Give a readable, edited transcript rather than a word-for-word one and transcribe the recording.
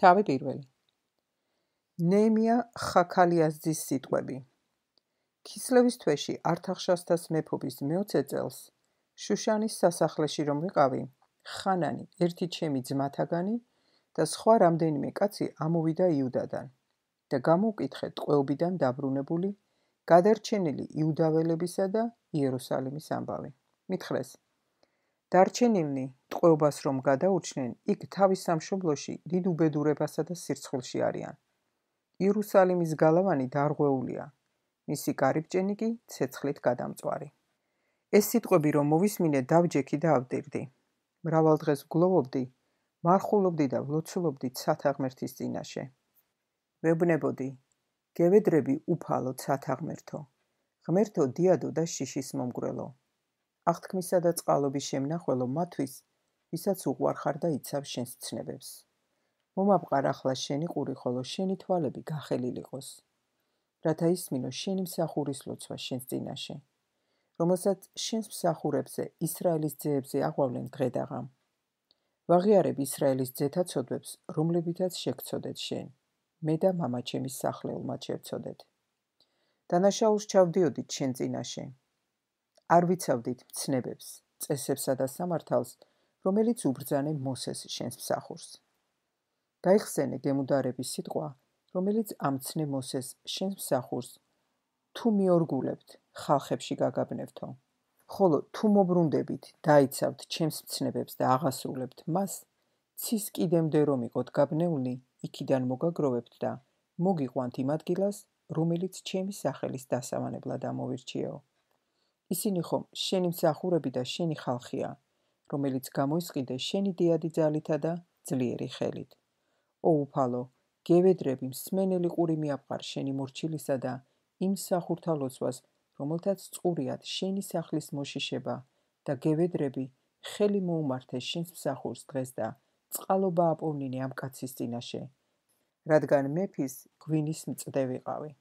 თავი პირველი. ნეემია ხაქალიაზძის სიტყვები. ქისლევის თვეში ართახშასთას მეფობის მე-20 წელს შუშანის სასახლეში რომ ვიყავი, ხანანი, ერთი ჩემი ძმათაგანი და სხვა რამდენიმე კაცი ამოვიდა იუდადან და გამოვკითხე ტყვეობიდან დაბრუნებული, გადარჩენილი იუდაველებისა და იერუსალიმის ამბავი. მითხრეს, დარჩენილნი ტყვეობას რომ გადაურჩნენ, იქ თავის სამშობლოში დიდ უბედურებასა და სირცხვილში არიან. იერუსალიმის გალავანი დარღვეულია, მისი გარიბჭენი კი ცეცხლით გადამწვარი. ეს სიტყვები რომ მოვისმინე, დავჯექი და ავდირდი. მრავალ დღეს ვგლოვობდი, მარხულობდი და ვლოცულობდი ცათა ღმერთის წინაშე. ვეუბნებოდი, გევედრები უფალო ცათა ღმერთო, ღმერთო დიადო და შიშის მომგვრელო, აღთქმისა და წყალობის შემნახველო მათვის, ვისაც უყვარხარ და იცავ შენს ცნებებს. მომაბყარ ახლა შენი ყური, ხოლო შენი თვალები გახელილიყოს, რათა ისმინო შენი მსახურის ლოცვა შენს წინაშე, რომელსაც შენს მსახურებზე, ისრაელის ძეებზე აღვავლენ დღედაღამ. ვაღიარებ ისრაელის ძეთა ცოდვებს, რომლებითაც შეგცოდეთ შენ, მე და მამა ჩემის სახლეულმა შევცოდეთ. დანაშაულს ჩავდიოდით შენ წინაშე. არ ვიცავდით მცნებებს, წესებსა და სამართალს, რომელიც უბრძანე მოსეს შენს მსახურს. გაიხსენე გემუდარების სიტყვა, რომელიც ამცნე მოსეს შენს მსახურს, თუ მიორგულებთ, ხალხებში გაგაბნევთო. ხოლო თუ მობრუნდებით, დაიცავთ ჩემს მცნებებს და აღასრულებთ მას, ცის კიდემდე რომ იყოთ გაბნეულნი, იქიდან მოგაგროვებთ და მოგიყვანთ იმ ადგილას, რომელიც ჩემი სახელის დასამანებლად ამოვირჩიეო. ისინი ხომ შენი მსახურები და შენი ხალხია, რომელიც გამოისყიდე შენი დიადი ძალითა და ძლიერი ხელით. უფალო, გევედრები მსმენელი ყური მიაბყარ შენი მორჩილისა და იმ მსახურთა ლოცვას, რომელთაც წყურიათ შენი სახლის მოშიშება და გევედრები ხელი მოუმართე შენს მსახურს დღეს და წყალობა აპოვნინე ამ კაცის წინაშე, რადგან მეფის გვინის მწდე ვიყავი.